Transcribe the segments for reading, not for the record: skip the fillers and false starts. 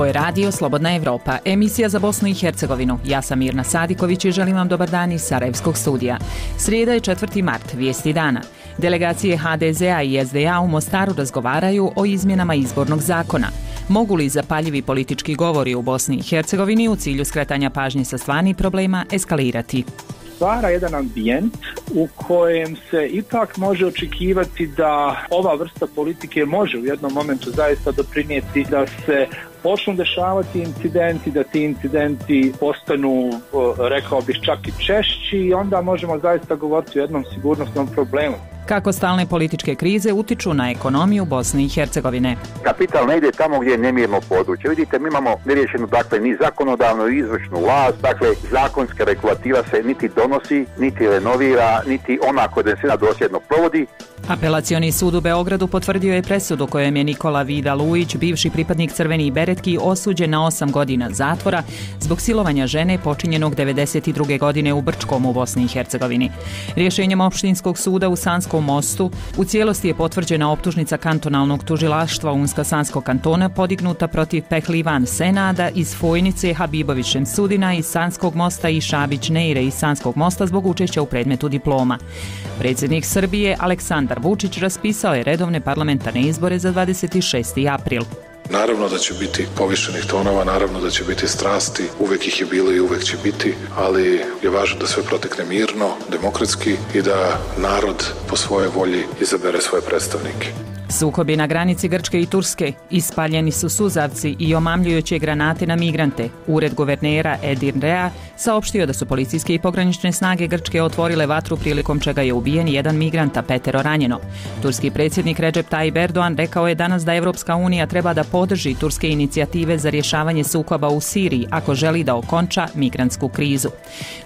Ovo je radio Slobodna Evropa, emisija za Bosnu i Hercegovinu. Ja sam Mirna Sadiković i želim vam dobar dan iz Sarajevskog studija. Srijeda je 4. mart, vijesti dana. Delegacije HDZ-a i SDA u Mostaru razgovaraju o izmjenama izbornog zakona. Mogu li zapaljivi politički govori u Bosni i Hercegovini u cilju skretanja pažnje sa stvarnih problema eskalirati? Stvara jedan ambijent u kojem se ipak može očekivati da ova vrsta politike može u jednom momentu zaista doprinijeti da se počnu dešavati incidenti, da ti incidenti postanu, rekao bih, čak i češći i onda možemo zaista govoriti o jednom sigurnosnom problemu. Kako stalne političke krize utiču na ekonomiju Bosne i Hercegovine? Kapital ne ide tamo gdje je nemirno područje. Vidite, mi imamo neriješenu, ni zakonodavnu i izvršnu vlast, zakonska regulativa se niti donosi, niti renovira, niti ona koja se dosljedno provodi. Apelacioni sud u Beogradu potvrdio je presudu kojem je Nikola Vida Lujić, bivši pripadnik Crvenih beretki, osuđen na 8 godina zatvora zbog silovanja žene počinjenog 92. godine u Brčkom u Bosni i Hercegovini. Rješenjem opštinskog suda u Sanskom Mostu u cijelosti je potvrđena optužnica kantonalnog tužilaštva Unsko-Sanskog kantona podignuta protiv Pehlivan Senada iz Fojnice, Habibović Šemsudina iz Sanskog Mosta i Šabić Neire iz Sanskog Mosta zbog učešća u predmetu diploma. Predsjednik Srbije Aleksandar Vučić raspisao je redovne parlamentarne izbore za 26. april. Naravno da će biti povišenih tonova, naravno da će biti strasti, uvijek ih je bilo i uvijek će biti, ali je važno da sve protekne mirno, demokratski i da narod po svojoj volji izabere svoje predstavnike. Sukobi na granici Grčke i Turske, ispaljeni su suzavci i omamljujuće granate na migrante. Ured guvernera Edirnea saopštio da su policijske i pogranične snage Grčke otvorile vatru prilikom čega je ubijen jedan migrant, a 5 ranjeno. Turski predsjednik Recep Tayyip Erdogan rekao je danas da Evropska unija treba da podrži turske inicijative za rješavanje sukoba u Siriji ako želi da okonča migrantsku krizu.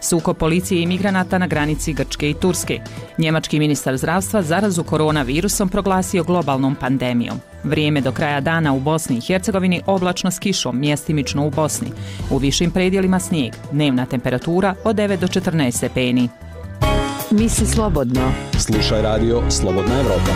Sukob policije i migranata na granici Grčke i Turske. Njemački ministar zdravstva zarazu koronavirusom proglasio globalnom pandemijom. Vrijeme do kraja dana u Bosni i Hercegovini oblačno s kišom, mjestimično u Bosni. U višim predjelima snijeg, dnevna temperatura od 9 do 14 stepeni. Misli slobodno. Slušaj radio Slobodna Evropa.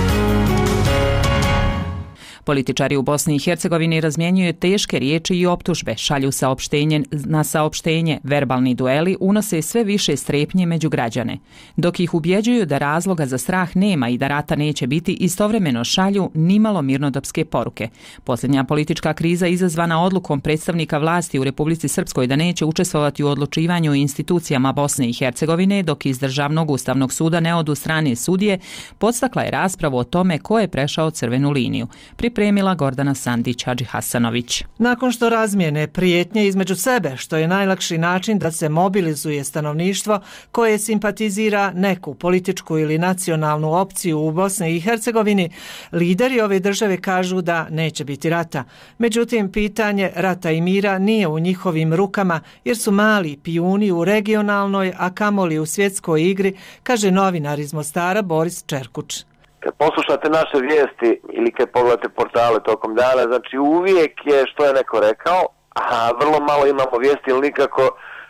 Političari u Bosni i Hercegovini razmjenjuju teške riječi i optužbe, šalju saopštenje na saopštenje, verbalni dueli unose sve više strepnje među građane. Dok ih ubjeđuju da razloga za strah nema i da rata neće biti, istovremeno šalju nimalo mirnodopske poruke. Posljednja politička kriza izazvana odlukom predstavnika vlasti u Republici Srpskoj da neće učestvovati u odlučivanju u institucijama Bosne i Hercegovine dok iz Državnog ustavnog suda ne odu strane sudije, podstakla je raspravu o tome ko je prešao crvenu liniju. Pripremila Gordana Sandić Hadži Hasanović. Nakon što razmijene prijetnje između sebe, što je najlakši način da se mobilizuje stanovništvo koje simpatizira neku političku ili nacionalnu opciju u Bosni i Hercegovini, lideri ove države kažu da neće biti rata. Međutim, pitanje rata i mira nije u njihovim rukama jer su mali pijuni u regionalnoj, a kamoli u svjetskoj igri, kaže novinar iz Mostara Boris Čerkuč. Kad poslušate naše vijesti ili kad pogledate portale tokom dana, znači uvijek je što je neko rekao, a vrlo malo imamo vijesti ili nikako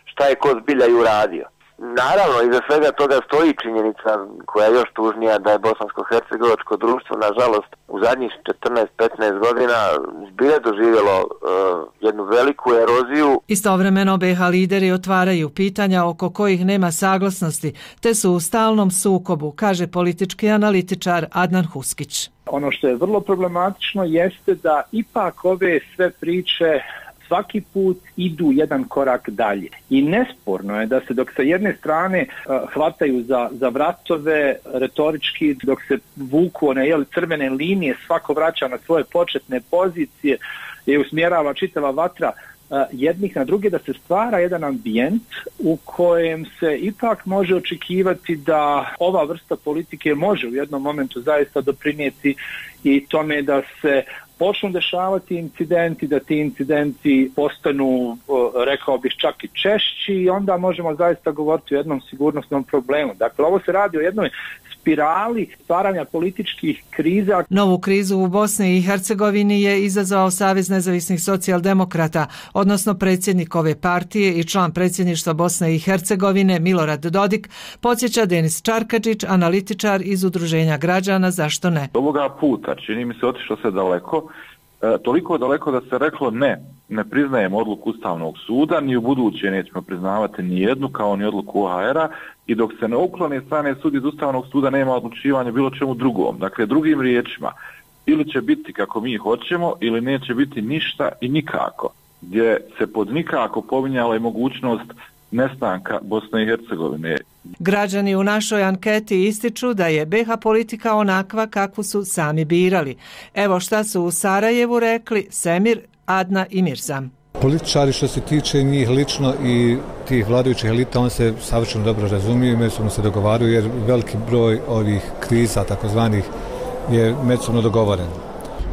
šta je ko zbilja i uradio. Naravno, iza svega toga stoji činjenica koja je još tužnija da je bosansko-hercegovačko društvo, nažalost, u zadnjih 14-15 godina zbilja doživjelo jednu veliku eroziju. Istovremeno BiH lideri otvaraju pitanja oko kojih nema saglasnosti, te su u stalnom sukobu, kaže politički analitičar Adnan Huskić. Ono što je vrlo problematično jeste da ipak ove sve priče svaki put idu jedan korak dalje. I nesporno je da se dok sa jedne strane hvataju za vratove retorički, dok se vuku one crvene linije, svako vraća na svoje početne pozicije i usmjerava čitava vatra jednih na druge, da se stvara jedan ambijent u kojem se ipak može očekivati da ova vrsta politike može u jednom momentu zaista doprinijeti i tome da se počnu dešavati incidenti, da ti incidenti postanu, rekao bih, čak i češći i onda možemo zaista govoriti o jednom sigurnosnom problemu. Dakle, ovo se radi o jednoj spirali stvaranja političkih kriza. Novu krizu u Bosni i Hercegovini je izazvao Savez nezavisnih socijaldemokrata, odnosno predsjednik ove partije i član predsjedništva Bosne i Hercegovine Milorad Dodik, podsjeća Denis Čarkadžić, analitičar iz Udruženja građana Zašto ne. Ovoga puta, čini mi se, otišlo se daleko toliko daleko da se reklo ne priznajemo odluku Ustavnog suda, ni u buduće nećemo priznavati ni jednu kao ni odluku OHR-a i dok se ne uklone strane sud iz Ustavnog suda nema odlučivanja bilo čemu drugom. Dakle, drugim riječima, ili će biti kako mi hoćemo ili neće biti ništa i nikako, gdje se pod nikako pominjala i mogućnost nestanka Bosne i Hercegovine. Građani u našoj anketi ističu da je BiH politika onakva kakvu su sami birali. Evo šta su u Sarajevu rekli Semir, Adna i Mirzam. Političari što se tiče njih lično i tih vladajućih elita, on se savršeno dobro razumiju i međusobno se dogovaraju jer veliki broj ovih kriza takozvanih je međusobno dogovoren.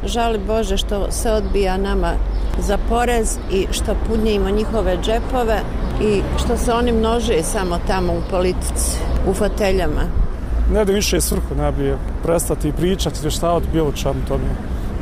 Žali Bože što se odbija nama za porez i što punjimo njihove džepove i što se oni množe samo tamo u politici, u foteljama. Ne da više svrhu najbolje prestati pričati, izvještavati bilo čemu tome,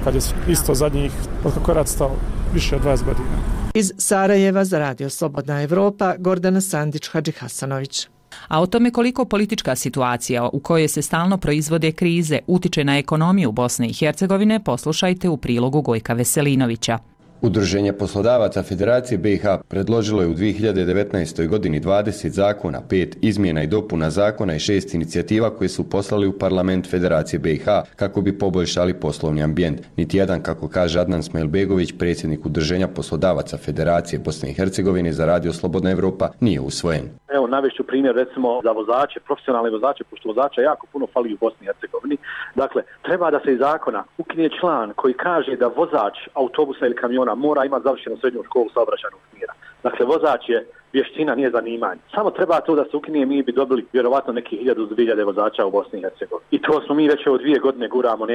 kad je isto zadnjih, od kako je rat stao, više od 20 godina. Iz Sarajeva za Radio Slobodna Evropa, Gordana Sandić-Hadžihasanović. A o tome koliko politička situacija u kojoj se stalno proizvode krize utiče na ekonomiju Bosne i Hercegovine, poslušajte u prilogu Gojka Veselinovića. Udruženje poslodavaca Federacije BiH predložilo je u 2019. godini 20 zakona, 5 izmjena i dopuna zakona i 6 inicijativa koje su poslali u parlament Federacije BiH kako bi poboljšali poslovni ambijent. Niti jedan, kako kaže Adnan Smajlbegović, predsjednik Udruženja poslodavaca Federacije Bosne i Hercegovine za Radio Slobodna Evropa, nije usvojen. Evo, navešću primjer recimo za vozače, profesionalne vozače, pošto vozača jako puno fali u Bosni i Hercegovini. Dakle, treba da se iz zakona ukine član koji kaže da vozač autobusa ili kamiona mora imati završenu srednju školu saobraćajnog smjera. Dakle, vozač je vještina, nije zanimanje. Samo treba to da se ukine, mi bi dobili vjerovatno neki 1000-2000 vozača u Bosni i Hercegovini. I to smo mi već od 2 godine guramo,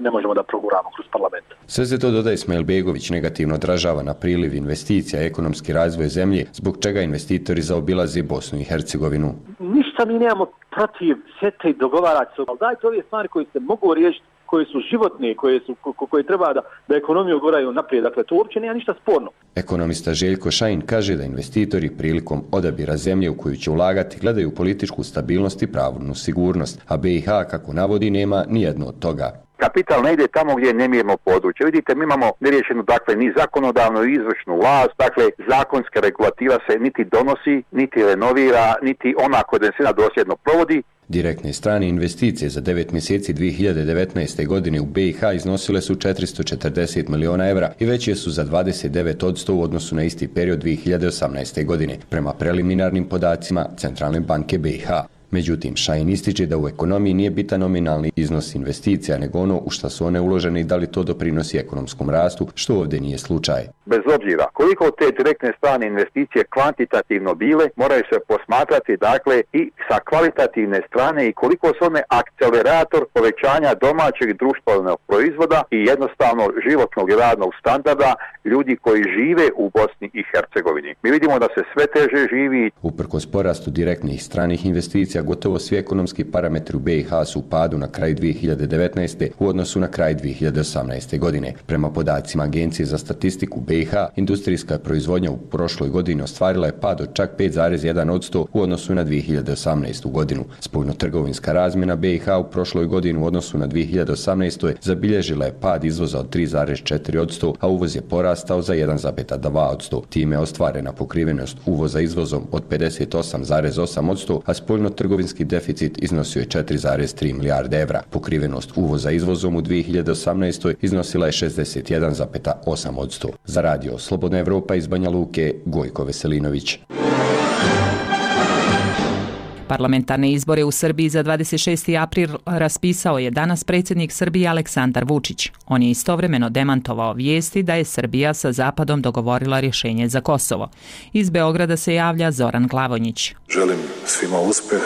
ne možemo da proguramo kroz parlament. Sve se to, dodaje Smajlbegović, negativno odražava na priliv investicija i ekonomski razvoj zemlje, zbog čega investitori zaobilaze Bosnu i Hercegovinu. Ništa mi nemamo protiv, sjete i dogovarati se, ali dajte ove stvari koje se mogu riješiti, koje su životne, koje treba da ekonomiju guraju naprijed. Dakle, to uopće nema ništa sporno. Ekonomista Željko Šajin kaže da investitori prilikom odabira zemlje u koju će ulagati gledaju političku stabilnost i pravnu sigurnost, a BiH, kako navodi, nema nijedno od toga. Kapital ne ide tamo gdje je nemirno područje. Vidite, mi imamo neriješenu, dakle, ni zakonodavnu i izvršnu vlast, dakle, zakonska regulativa se niti donosi, niti renovira, niti ona koja se dosljedno provodi. Direktne strane investicije za 9 mjeseci 2019. godine u BiH iznosile su 440 miliona evra i veće su za 29% u odnosu na isti period 2018. godine, prema preliminarnim podacima Centralne banke BiH. Međutim, Šajin ističe da u ekonomiji nije bitan nominalni iznos investicija, nego ono u šta su one uložene i da li to doprinosi ekonomskom rastu, što ovdje nije slučaj. Bez obzira koliko te direktne strane investicije kvantitativno bile, moraju se posmatrati, dakle, i sa kvalitativne strane i koliko su one akcelerator povećanja domaćeg društvenog proizvoda i jednostavno životnog i radnog standarda ljudi koji žive u Bosni i Hercegovini. Mi vidimo da se sve teže živi. Uprkos porastu direktnih stranih investicija, gotovo svi ekonomski parametri u BiH su u padu na kraju 2019. u odnosu na kraj 2018. godine. Prema podacima Agencije za statistiku BiH, industrijska proizvodnja u prošloj godini ostvarila je pad od čak 5,1% u odnosu na 2018. godinu. Spoljnotrgovinska razmjena BiH u prošloj godini u odnosu na 2018. zabilježila je pad izvoza od 3,4%, a uvoz je porastao za 1,2%. Time je ostvarena pokrivenost uvoza izvozom od 58,8%, a spoljnotrgovinski deficit iznosio je 4,3 milijarde evra. Pokrivenost uvoza izvozom u 2018. iznosila je 61,8%. Za Radio Slobodna Evropa iz Banja Luke, Gojko Veselinović. Parlamentarne izbore u Srbiji za 26. april raspisao je danas predsjednik Srbije Aleksandar Vučić. On je istovremeno demantovao vijesti da je Srbija sa Zapadom dogovorila rješenje za Kosovo. Iz Beograda se javlja Zoran Glavonjić. Želim svima uspjeh,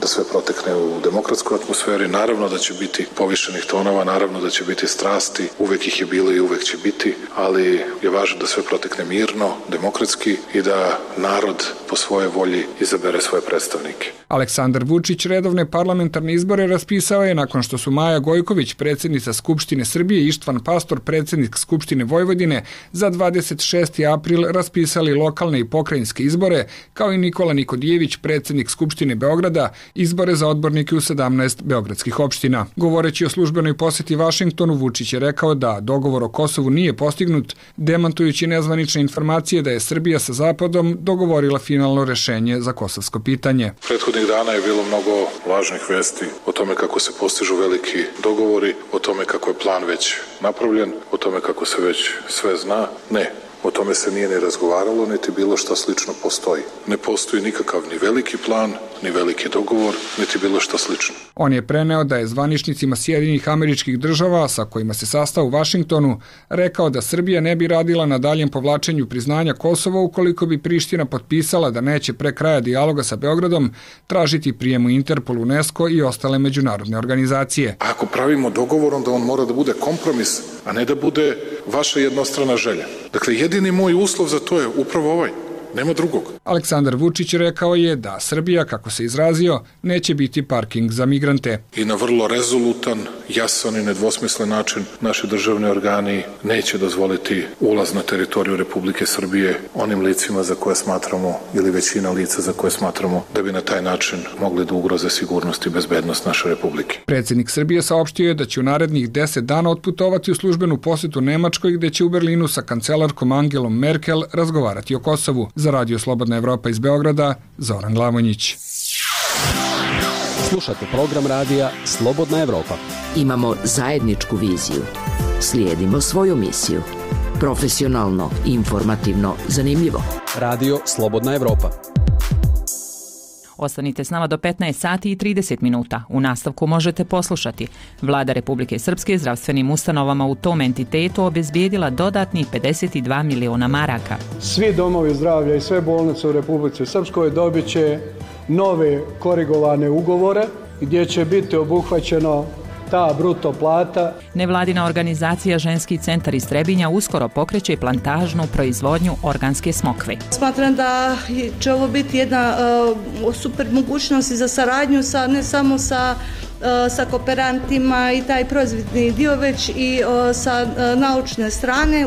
da sve protekne u demokratskoj atmosferi. Naravno da će biti povišenih tonova, naravno da će biti strasti, uvijek ih je bilo i uvijek će biti, ali je važno da sve protekne mirno, demokratski i da narod po svojoj volji izabere svoje predstavnike. Aleksandar Vučić redovne parlamentarne izbore raspisao je nakon što su Maja Gojković, predsjednica Skupštine Srbije, i Ištvan Pastor, predsjednik Skupštine Vojvodine, za 26. april raspisali lokalne i pokrajinske izbore, kao i Nikola Nikodijević, predsjednik Skupštine Beograda, izbore za odbornike u 17 beogradskih opština. Govoreći o službenoj poseti Vašingtonu, Vučić je rekao da dogovor o Kosovu nije postignut, demantujući nezvanične informacije da je Srbija sa Zapadom dogovorila finalno rešenje za kosovsko pitanje. Prethodnih dana je bilo mnogo lažnih vesti o tome kako se postižu veliki dogovori, o tome kako je plan već napravljen, o tome kako se već sve zna. Ne. O tome se nije ni razgovaralo, niti bilo šta slično postoji. Ne postoji nikakav ni veliki plan, ni veliki dogovor, niti bilo šta slično. On je preneo da je zvaničnicima Sjedinjenih Američkih Država, sa kojima se sastao u Vašingtonu, rekao da Srbija ne bi radila na daljem povlačenju priznanja Kosova ukoliko bi Priština potpisala da neće pre kraja dijaloga sa Beogradom tražiti prijem u Interpol, UNESCO i ostale međunarodne organizacije. A ako pravimo dogovor, onda on mora da bude kompromis, a ne da bude vaša jednostrana želja. Dakle, jedini moj uslov za to je upravo ovaj. Nema drugog. Aleksandar Vučić rekao je da Srbija, kako se izrazio, neće biti parking za migrante. I na vrlo rezolutan, jasan i nedvosmislen način naši državni organi neće dozvoliti ulaz na teritoriju Republike Srbije onim licima za koje smatramo, ili većina lica za koje smatramo, da bi na taj način mogli da ugroze sigurnost i bezbednost naše Republike. Predsjednik Srbije saopštio je da će u narednih 10 dana otputovati u službenu posetu Nemačkoj, gde će u Berlinu sa kancelarkom Angelom Merkel razgovarati o Kosovu. Za Radio Slobodna Evropa iz Beograda, Zoran Glavonjić. Slušate program radija Slobodna Evropa. Imamo zajedničku viziju. Slijedimo svoju misiju. Profesionalno, informativno, zanimljivo. Radio Slobodna Evropa. Ostanite s nama do 15 sati i 30 minuta. U nastavku možete poslušati. Vlada Republike Srpske zdravstvenim ustanovama u tom entitetu obezbijedila dodatnih 52 miliona maraka. Svi domovi zdravlja i sve bolnice u Republici Srpskoj dobit će nove korigovane ugovore gdje će biti obuhvaćeno ta bruto plata. Nevladina organizacija Ženski centar iz Trebinja uskoro pokreće plantažnu proizvodnju organske smokve. Smatram da će ovo biti jedna super mogućnost za saradnju ne samo sa kooperantima i taj proizvodni dio, već i sa naučne strane.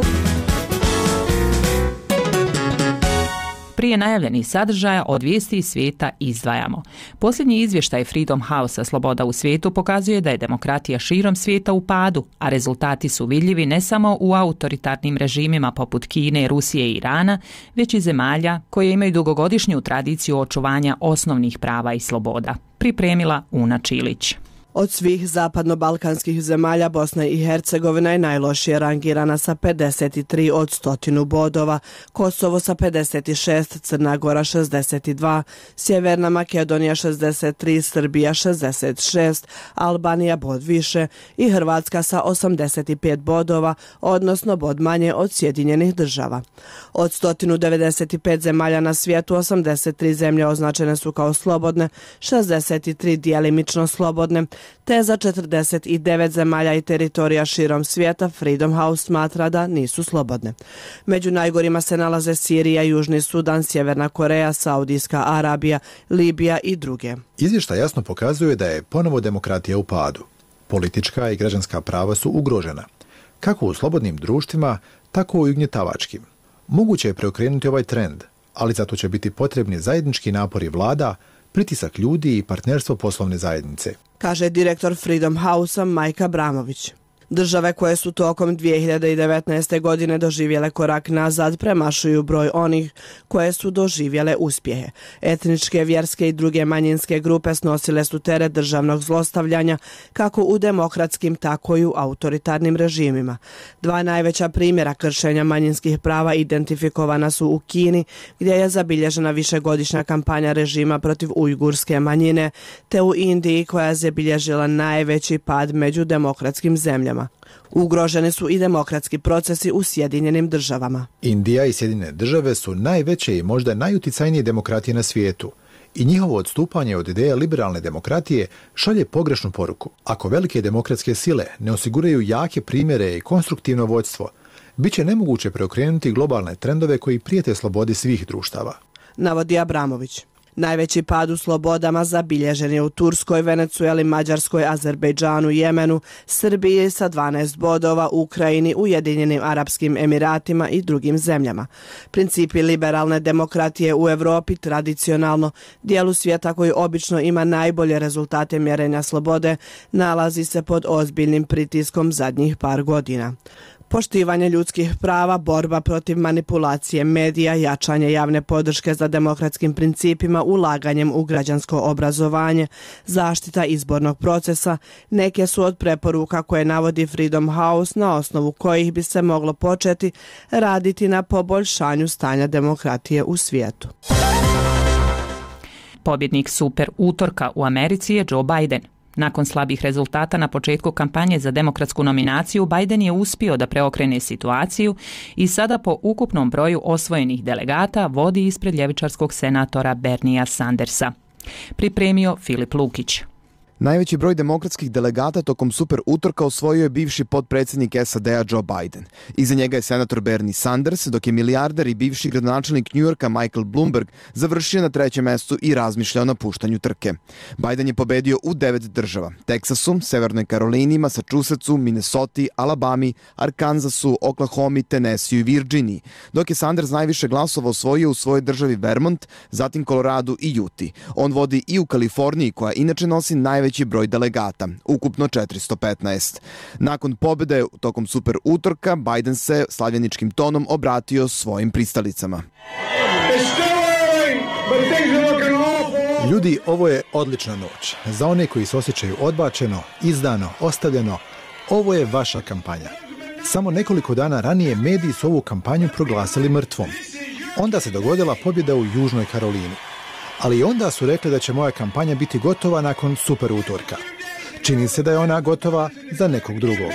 Prije najavljenih sadržaja od vijesti iz svijeta izdvajamo. Posljednji izvještaj Freedom House-a Sloboda u svijetu pokazuje da je demokratija širom svijeta u padu, a rezultati su vidljivi ne samo u autoritarnim režimima poput Kine, Rusije i Irana, već i zemalja koje imaju dugogodišnju tradiciju očuvanja osnovnih prava i sloboda. Pripremila Una Čilić. Od svih zapadno-balkanskih zemalja Bosna i Hercegovina je najlošije rangirana sa 53 od 100 bodova, Kosovo sa 56, Crna Gora 62, Sjeverna Makedonija 63, Srbija 66, Albanija bod više i Hrvatska sa 85 bodova, odnosno bod manje od Sjedinjenih država. Od 195 zemalja na svijetu, 83 zemlje označene su kao slobodne, 63 djelimično slobodne, te za 49 zemalja i teritorija širom svijeta Freedom House smatra da nisu slobodne. Među najgorima se nalaze Sirija, Južni Sudan, Sjeverna Koreja, Saudijska Arabija, Libija i druge. Izvještaj jasno pokazuje da je ponovo demokratija u padu. Politička i građanska prava su ugrožena, kako u slobodnim društvima, tako i u ugnjetavačkim. Moguće je preokrenuti ovaj trend, ali zato će biti potrebni zajednički napori vlada, pritisak ljudi i partnerstvo poslovne zajednice, kaže direktor Freedom House-a Majka Bramović. Države koje su tokom 2019. godine doživjele korak nazad premašuju broj onih koje su doživjele uspjehe. Etničke, vjerske i druge manjinske grupe snosile su teret državnog zlostavljanja kako u demokratskim, tako i u autoritarnim režimima. Dva najveća primjera kršenja manjinskih prava identifikovana su u Kini, gdje je zabilježena višegodišnja kampanja režima protiv ujgurske manjine, te u Indiji koja je zabilježila najveći pad među demokratskim zemljama. Ugroženi su i demokratski procesi u Sjedinjenim državama. Indija i Sjedinjene države su najveće i možda najuticajnije demokratije na svijetu i njihovo odstupanje od ideje liberalne demokratije šalje pogrešnu poruku. Ako velike demokratske sile ne osiguraju jake primjere i konstruktivno vođstvo, bit će nemoguće preokrenuti globalne trendove koji prijete slobodi svih društava, navodi Abramović. Najveći pad u slobodama zabilježen je u Turskoj, Venecueli, Mađarskoj, Azerbejdžanu, Jemenu, Srbiji sa 12 bodova, Ukrajini, Ujedinjenim Arapskim Emiratima i drugim zemljama. Principi liberalne demokratije u Evropi tradicionalno, dijelu svijeta koji obično ima najbolje rezultate mjerenja slobode, nalazi se pod ozbiljnim pritiskom zadnjih par godina. Poštivanje ljudskih prava, borba protiv manipulacije medija, jačanje javne podrške za demokratskim principima, ulaganjem u građansko obrazovanje, zaštita izbornog procesa, neke su od preporuka koje navodi Freedom House na osnovu kojih bi se moglo početi raditi na poboljšanju stanja demokratije u svijetu. Pobjednik super utorka u Americi je Joe Biden. Nakon slabih rezultata na početku kampanje za demokratsku nominaciju, Biden je uspio da preokrene situaciju i sada po ukupnom broju osvojenih delegata vodi ispred ljevičarskog senatora Bernia Sandersa. Pripremio Filip Lukić. Najveći broj demokratskih delegata tokom super utorka osvojio je bivši potpredsjednik SAD-a Joe Biden. Iza njega je senator Bernie Sanders, dok je milijarder i bivši gradonačelnik New Yorka Michael Bloomberg završio na 3. mestu i razmišljao na puštanju trke. Biden je pobedio u 9 država: Teksasu, Severnoj Karolini, Massachusettsu, Minnesoti, Alabami, Arkansasu, Oklahomi, Tennessee i Virginiji, dok je Sanders najviše glasova osvojio u svojoj državi Vermont, zatim Koloradu i Uti. On vodi i u Kaliforniji, koja inače nosi najveći broj delegata, ukupno 415. Nakon pobjede tokom super utorka, Biden se slavljeničkim tonom obratio svojim pristalicama. Ljudi, ovo je odlična noć. Za one koji se osjećaju odbačeno, izdano, ostavljeno, ovo je vaša kampanja. Samo nekoliko dana ranije mediji su ovu kampanju proglasili mrtvom. Onda se dogodila pobjeda u Južnoj Karolini. Ali onda su rekli da će moja kampanja biti gotova nakon super utorka. Čini se da je ona gotova za nekog drugog.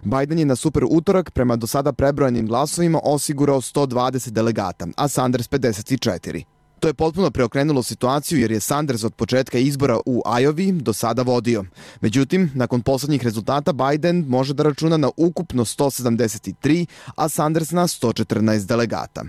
Biden je na super utorak prema do sada prebrojenim glasovima osigurao 120 delegata, a Sanders 54. To je potpuno preokrenulo situaciju jer je Sanders od početka izbora u Iowi do sada vodio. Međutim, nakon posljednjih rezultata Biden može da računa na ukupno 173, a Sanders na 114 delegata.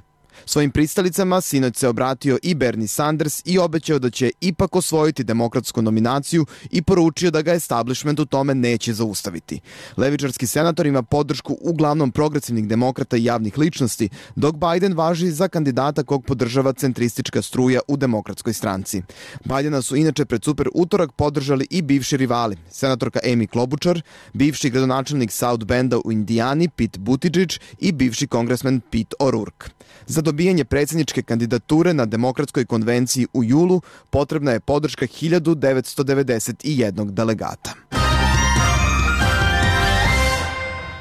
Svojim pristalicama sinoć se obratio i Bernie Sanders i obećao da će ipak osvojiti demokratsku nominaciju i poručio da ga establishment u tome neće zaustaviti. Levičarski senator ima podršku uglavnom progresivnih demokrata i javnih ličnosti, dok Biden važi za kandidata kog podržava centristička struja u demokratskoj stranci. Bidena su inače pred super utorak podržali i bivši rivali, senatorka Amy Klobuchar, bivši gradonačelnik South Benda u Indijani Pete Buttigieg i bivši kongresmen Pete O'Rourke. Za dobijanje predsjedničke kandidature na demokratskoj konvenciji u julu potrebna je podrška 1991 delegata.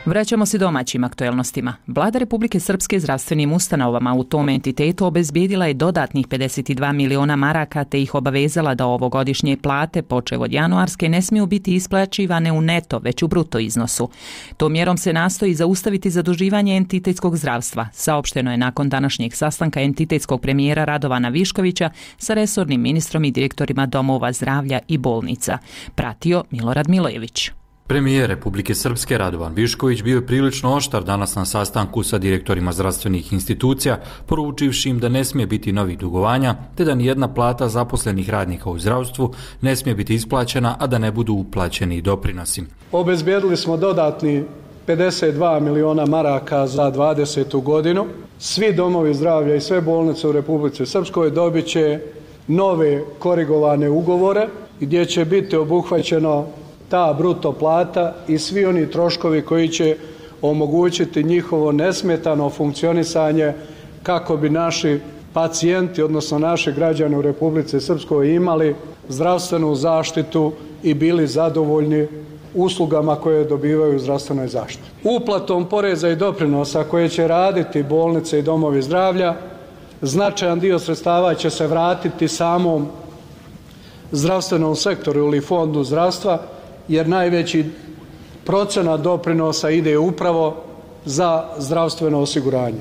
Vraćamo se domaćim aktuelnostima. Vlada Republike Srpske zdravstvenim ustanovama u tom entitetu obezbijedila je dodatnih 52 miliona maraka te ih obavezala da ovogodišnje plate, počev od januarske, ne smiju biti isplaćivane u neto, već u bruto iznosu. Tom mjerom se nastoji zaustaviti zaduživanje entitetskog zdravstva, saopšteno je nakon današnjeg sastanka entitetskog premijera Radovana Viškovića sa resornim ministrom i direktorima domova zdravlja i bolnica. Pratio Milorad Milojević. Premijer Republike Srpske Radovan Višković bio je prilično oštar danas na sastanku sa direktorima zdravstvenih institucija, poručivši im da ne smije biti novih dugovanja, te da nijedna plata zaposlenih radnika u zdravstvu ne smije biti isplaćena, a da ne budu uplaćeni doprinosi. Obezbijedili smo dodatni 52 miliona maraka za 20. godinu. Svi domovi zdravlja i sve bolnice u Republici Srpskoj dobit će nove korigovane ugovore gdje će biti obuhvaćeno ta bruto plata i svi oni troškovi koji će omogućiti njihovo nesmetano funkcionisanje kako bi naši pacijenti, odnosno naši građani u Republici Srpskoj imali zdravstvenu zaštitu i bili zadovoljni uslugama koje dobivaju u zdravstvenoj zaštiti. Uplatom poreza i doprinosa koje će raditi bolnice i domovi zdravlja, značajan dio sredstava će se vratiti samom zdravstvenom sektoru ili fondu zdravstva, jer najveći procenat doprinosa ide upravo za zdravstveno osiguranje.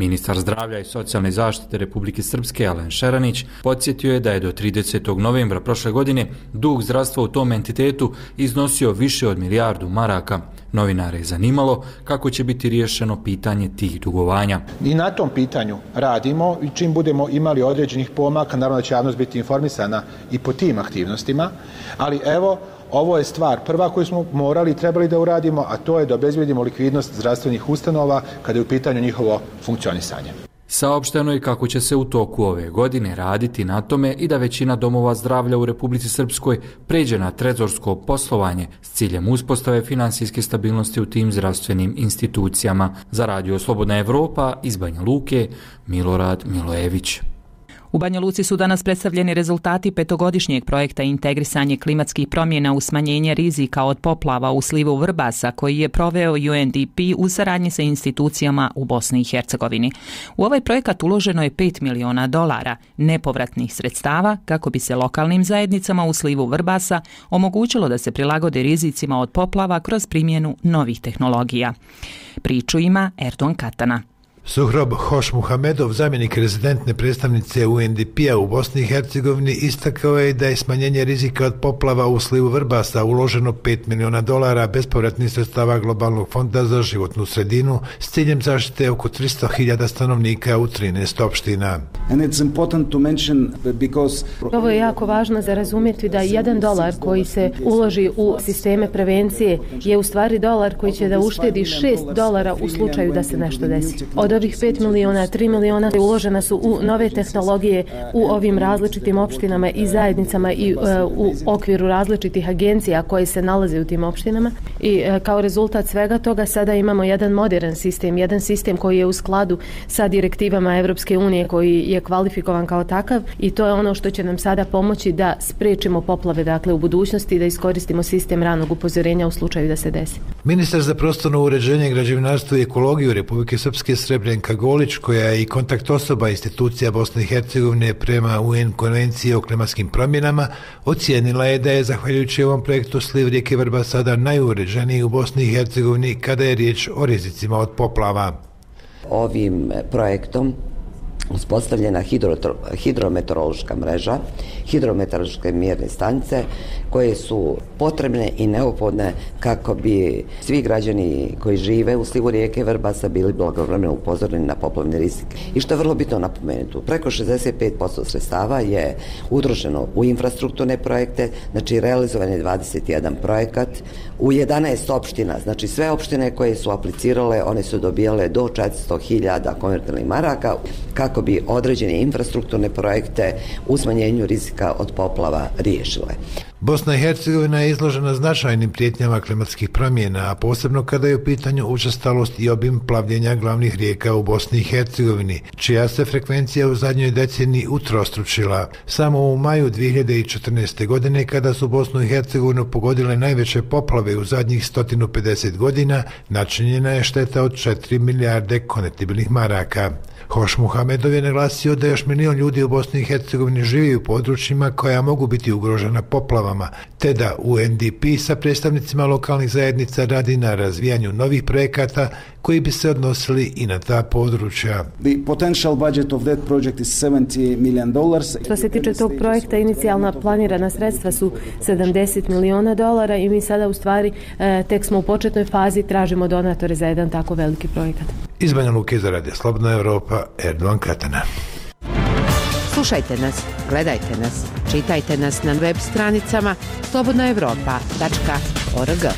Ministar zdravlja i socijalne zaštite Republike Srpske Alen Šeranić podsjetio je da je do 30. novembra prošle godine dug zdravstva u tom entitetu iznosio više od milijardu maraka. Novinare je zanimalo kako će biti riješeno pitanje tih dugovanja. I na tom pitanju radimo i čim budemo imali određenih pomaka, naravno da će javnost biti informisana i po tim aktivnostima, ali evo, ovo je stvar prva koju smo morali i trebali da uradimo, a to je da obezbedimo likvidnost zdravstvenih ustanova kada je u pitanju njihovo funkcionisanje. Saopšteno je kako će se u toku ove godine raditi na tome i da većina domova zdravlja u Republici Srpskoj pređe na trezorsko poslovanje s ciljem uspostave finansijske stabilnosti u tim zdravstvenim institucijama. Za Radio Slobodna Evropa iz Banja Luke, Milorad Milojević. U Banja Luci su danas predstavljeni rezultati petogodišnjeg projekta Integrisanje klimatskih promjena u smanjenje rizika od poplava u slivu Vrbasa koji je proveo UNDP u saradnji sa institucijama u Bosni i Hercegovini. U ovaj projekat uloženo je $5 miliona nepovratnih sredstava kako bi se lokalnim zajednicama u slivu Vrbasa omogućilo da se prilagode rizicima od poplava kroz primjenu novih tehnologija. Priču ima Erdogan Katana. Suhrob Hošmuhamedov, zamjenik rezidentne predstavnice UNDP-a u Bosni i Hercegovini, istakao je da je smanjenje rizika od poplava u slivu Vrbasa uloženo $5 miliona bespovratnih sredstava Globalnog fonda za životnu sredinu s ciljem zaštite oko 300.000 stanovnika u 13 opština. Ovo je jako važno za razumjeti da $1 koji se uloži u sisteme prevencije je u stvari dolar koji će da uštedi $6 u slučaju da se nešto desi. Od ovih 5 miliona, 3 miliona uložena su u nove tehnologije u ovim različitim opštinama i zajednicama i u okviru različitih agencija koje se nalaze u tim opštinama. I kao rezultat svega toga sada imamo jedan modern sistem, jedan sistem koji je u skladu sa direktivama Evropske unije, koji je kvalifikovan kao takav i to je ono što će nam sada pomoći da sprečimo poplave, dakle u budućnosti, da iskoristimo sistem ranog upozorenja u slučaju da se desi. Ministar za prostorno uređenje, građevinarstvo i ekologiju Republike Srpske Srebrenka Golić, koja je i kontakt osoba institucija Bosne i Hercegovine prema UN konvenciji o klimatskim promjenama, ocijenila je da je zahvaljujući ovom projektu sliv rijeke Vrba sada najuređeniji u Bosni i Hercegovini kada je riječ o rizicima od poplava. Ovim projektom uspostavljena hidrometeorološka mreža, hidrometeorološke mjerne stanice koje su potrebne i neophodne kako bi svi građani koji žive u slivu rijeke Vrbasa bili blagovremeno upozoreni na poplavni rizik. I što je vrlo bitno napomenuti, preko 65% sredstava je utrošeno u infrastrukturne projekte, znači realizovan je 21 projekat u 11 opština, znači sve opštine koje su aplicirale, one su dobijale do 400.000 konvertibilnih maraka kako bi određene infrastrukturne projekte u smanjenju rizika od poplava riješile. Bosna i Hercegovina je izložena značajnim prijetnjama klimatskih promjena, a posebno kada je u pitanju učestalost i obim plavljenja glavnih rijeka u Bosni i Hercegovini, čija se frekvencija u zadnjoj deceniji utrostručila. Samo u maju 2014. godine, kada su Bosnu i Hercegovinu pogodile najveće poplave u zadnjih 150 godina, načinjena je šteta od 4 milijarde konvertibilnih maraka. Hošmuhamedov je naglasio da još 1 milion ljudi u Bosni i Hercegovini živi u područjima koja mogu biti ugrožena poplavama, te da UNDP sa predstavnicima lokalnih zajednica radi na razvijanju novih projekata koji bi se odnosili i na ta područja. Što se tiče tog projekta, inicijalna planirana sredstva su $70 miliona i mi sada u stvari tek smo u početnoj fazi, tražimo donatore za jedan tako veliki projekat. Iz Banja Luke za Radio Slobodna Evropa, Erdogan Katana. Slušajte nas, gledajte nas, čitajte nas na web stranicama slobodnaevropa.org.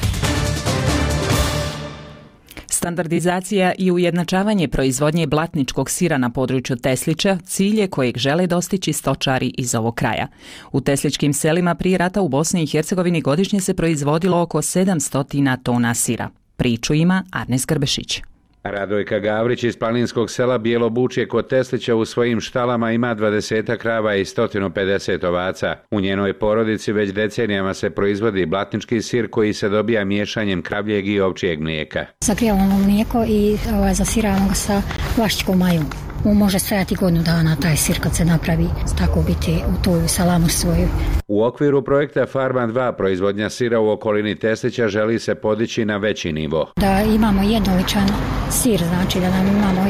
Standardizacija i ujednačavanje proizvodnje blatničkog sira na području Teslića cilj je kojeg žele dostići stočari iz ovog kraja. U tesličkim selima prije rata u Bosni i Hercegovini godišnje se proizvodilo oko 700 tona sira. Priču ima Arnes Grbešić. Radojka Gavrić iz planinskog sela Bijelo Bučje kod Teslića u svojim štalama ima 20 krava i 150 ovaca. U njenoj porodici već decenijama se proizvodi blatnički sir koji se dobija miješanjem kravljeg i ovčijeg mlijeka. Zagrijavamo mlijeko i zasiramo ga sa vlašćkom majom. može stajati godinu dana taj sir kad se napravi, tako biti u toj salamu svoju. U okviru projekta Farma 2 proizvodnja sira u okolini Teslića želi se podići na veći nivo. Da imamo jednoličan sir, znači da nam imamo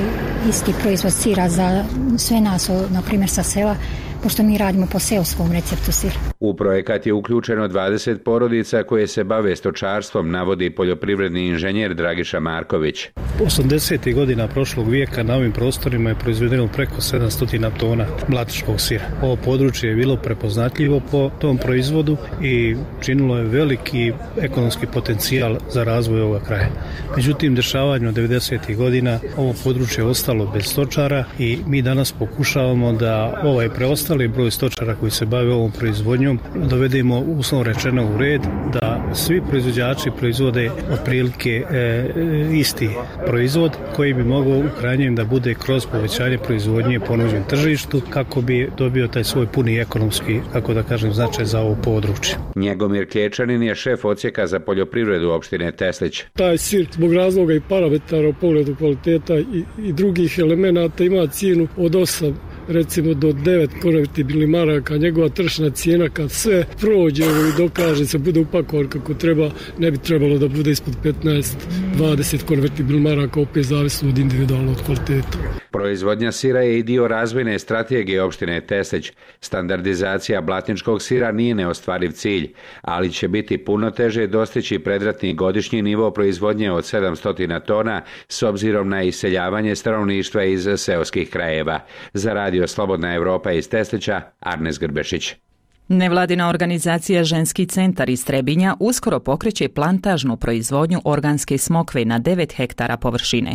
isti proizvod sira za sve nas, na primjer sa sela, pošto mi radimo po seoskom receptu sira. U projekat je uključeno 20 porodica koje se bave stočarstvom, navodi poljoprivredni inženjer Dragiša Marković. 80. godina prošlog vijeka na ovim prostorima je proizvedeno preko 700 tona mlatiškog sira. Ovo područje je bilo prepoznatljivo po tom proizvodu i činilo je veliki ekonomski potencijal za razvoj ovoga kraja. Međutim, dešavanjem 90. godina ovo područje je ostalo bez stočara i mi danas pokušavamo da ovaj preostali broj stočara koji se bave ovom proizvodnjom dovedemo uslovno rečeno u red, da svi proizvođači proizvode otprilike isti proizvod koji bi mogao u krajnjem da bude kroz povećanje proizvodnje ponuđen tržištu kako bi dobio taj svoj puni ekonomski, kako da kažem, značaj za ovo područje. Njegomir Kečanin je šef odsjeka za poljoprivredu opštine Teslić. Taj sir zbog razloga i parametara u pogledu kvaliteta i drugih elemenata ima cijenu od 8 recimo do 9 konvertibilnih maraka. Njegova tržišna cijena kad sve prođe i dokaže se bude upakovan kako treba, ne bi trebalo da bude ispod 15-20 konvertibilnih maraka, opet zavisno od individualnog kvaliteta. Proizvodnja sira je i dio razvojne strategije opštine Teslić. Standardizacija blatničkog sira nije neostvariv cilj, ali će biti puno teže dostići predratni godišnji nivo proizvodnje od 700 tona s obzirom na iseljavanje stanovništva iz seoskih krajeva. Za Radio Slobodna Evropa iz Teslića, Arnes Grbešić. Nevladina organizacija Ženski centar iz Trebinja uskoro pokreće plantažnu proizvodnju organske smokve na 9 hektara površine.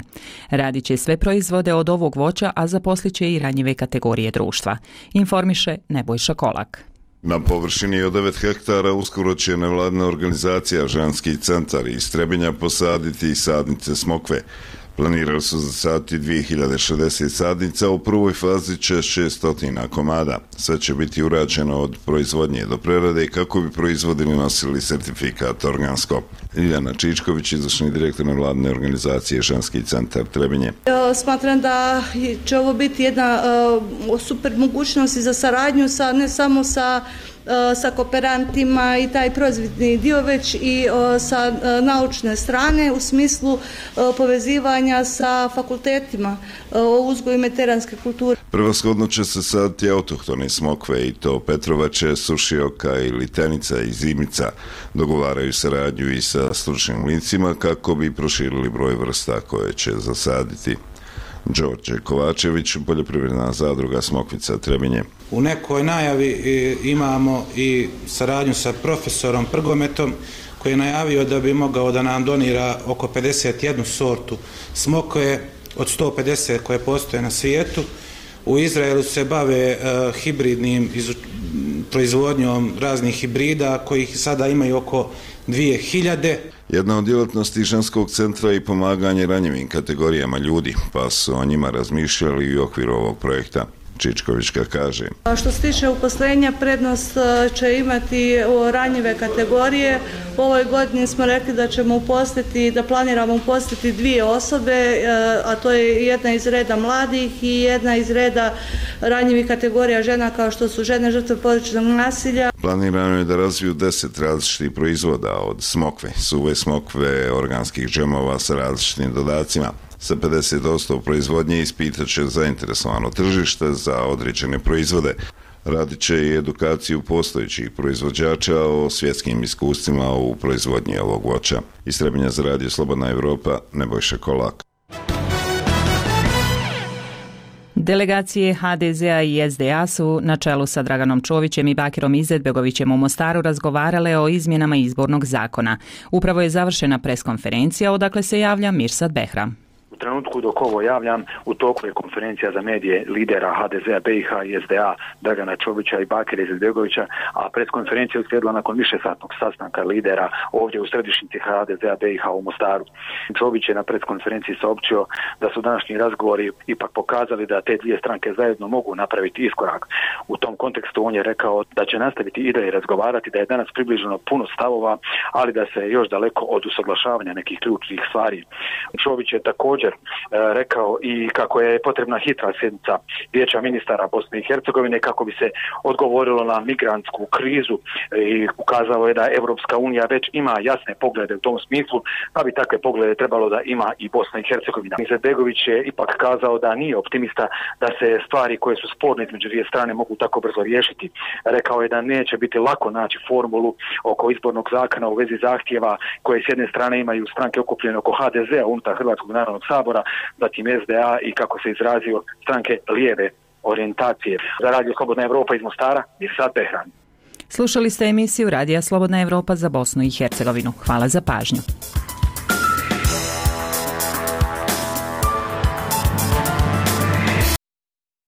Radit će sve proizvode od ovog voća, a zaposliće i ranjive kategorije društva. Informiše Nebojša Kolak. Na površini od 9 hektara uskoro će nevladina organizacija Ženski centar iz Trebinja posaditi sadnice smokve. Planirali su zasaditi 2060 sadnica, u prvoj fazi će 600 komada. Sve će biti urađeno od proizvodnje do prerade kako bi proizvodili nosili sertifikat organsko. Iljana Čičković, izvršni direktor nevladine organizacije Ženski centar Trebinje. Smatram da će ovo biti jedna super mogućnost za saradnju ne samo sa kooperantima i taj proizvodni dio, već i sa naučne strane u smislu povezivanja sa fakultetima o uzgoju mediteranske kulture. Prevashodno će se saditi autohtone smokve i to Petrovače, Sušioka i Litenica i Zimica. Dogovaraju saradnju i sa stručnim licima kako bi proširili broj vrsta koje će zasaditi. Đorđe Kovačević, poljoprivredna zadruga Smokvica Trebinje. U nekoj najavi imamo i saradnju sa profesorom Prgometom koji je najavio da bi mogao da nam donira oko 51 sortu smokve od 150 koje postoje na svijetu. U Izraelu se bave hibridnim proizvodnjom raznih hibrida kojih sada imaju oko 2000. Jedna od djelatnosti ženskog centra je i pomaganje ranjivim kategorijama ljudi, pa su o njima razmišljali i u okviru ovog projekta. Čičkovićka kaže. Što se tiče uposlenja, prednost će imati ranjive kategorije. U ovoj godini smo rekli da ćemo uposliti, da planiramo uposliti 2 osobe, a to je jedna iz reda mladih i jedna iz reda ranjivih kategorija žena kao što su žene žrtve porodičnog nasilja. Planirano je da razviju 10 različitih proizvoda od smokve, suve smokve, organskih džemova sa različitim dodacima. Sa 50% proizvodnje ispitat će zainteresovano tržište za određene proizvode. Radit će i edukaciju postojećih proizvođača o svjetskim iskustvima u proizvodnji ovog voća. Iz Trebinja za Radio Slobodna Evropa, Nebojša Kolak. Delegacije HDZ-a i SDA su na čelu sa Draganom Čovićem i Bakirom Izetbegovićem u Mostaru razgovarale o izmjenama izbornog zakona. Upravo je završena preskonferencija, odakle se javlja Mirsad Behram. U trenutku dok ovo javljam, u toku je konferencija za medije lidera HDZ-a, BiH i SDA Dragana Čovića i Bakira Izetbegovića, a preskonferencija je uslijedila nakon višesatnog sastanka lidera ovdje u središnjici HDZ-a BiH u Mostaru. Čović je na preskonferenciji saopćio da su današnji razgovori ipak pokazali da te dvije stranke zajedno mogu napraviti iskorak. U tom kontekstu on je rekao da će nastaviti i dalje razgovarati, da je danas približeno puno stavova, ali da se još daleko od usaglašavanja nekih ključnih stvari. Čović je također također rekao i kako je potrebna hitra sjednica Vijeća ministara Bosne i Hercegovine kako bi se odgovorilo na migrantsku krizu i ukazao je da Europska unija već ima jasne poglede u tom smislu, pa bi takve poglede trebalo da ima i Bosna i Hercegovina. Izetbegović je ipak kazao da nije optimista da se stvari koje su sporne između dvije strane mogu tako brzo riješiti. Rekao je da neće biti lako naći formulu oko izbornog zakona u vezi zahtjeva koje s jedne strane imaju stranke okupljene oko HDZ-a unutar Hrvatskog narodnog sabora, zatim SDA i kako se izrazio stranke lijeve orijentacije. Za Radio Slobodna Evropa iz Mostara, Mirsad Behran. Slušali ste emisiju Radija Slobodna Evropa za Bosnu i Hercegovinu. Hvala za pažnju.